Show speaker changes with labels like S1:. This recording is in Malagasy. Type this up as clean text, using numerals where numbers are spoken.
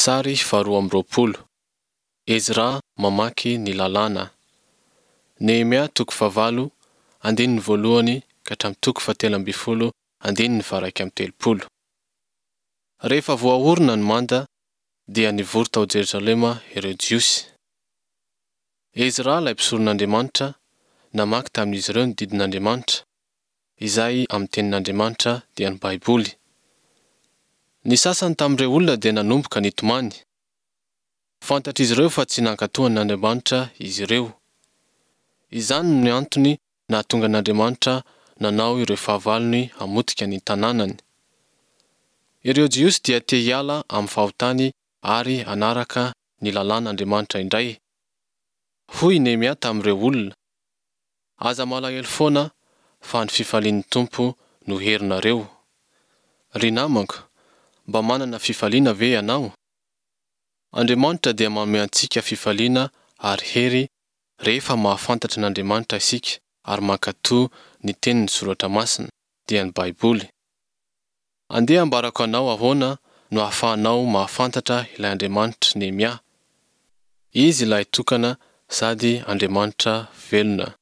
S1: Sary faharoa amby roapolo. Ezra mamaky ny Lalàna. Nehemia toko fahavalo, andininy voalohany ka hatramin'ny toko fahatelo ambin'ny folo, andininy faharaika amby telopolo. Rehefa voaorina ny manda, dia nivory tao Jerosalema ireo Jiosy. Ezra ilay mpisoron'Andriamanitra, namaky tamin'izy ireo ny didin'Andriamanitra, izay amin'ny tenin'Andriamanitra dia ny Baiboly. Ny sasany tamin'ireo olona dia nanomboka nitomany. Fantatr'izy ireo fa tsy nankatò an'Andriamanitra izy ireo. Izany no antony nahatonga an'Andriamanitra nanao ireo fahavalony hamotika ny tanànany. Ireo Jiosy dia te hiala amin'ny fahotany ary hanaraka ny lalàn'Andriamanitra indray. Hoy i Nehemia tamin'ireo olona, Aza malahelo foana fa ny fifalian'ny Tompo no herinareo. Ry namako, mba manana fifaliana ve ianao? Andriamanitra dia manome antsika fifaliana ary hery rehefa mahafantatra an'Andriamanitra isika ary mankatò ny tenin'ny Soratra Masina, dia ny Baiboly. Andeha ambarako anao ahoana no ahafahanao mahafantatra ilay Andriamanitr'i Nehemia. Izy ilay tokana sady Andriamanitra velona.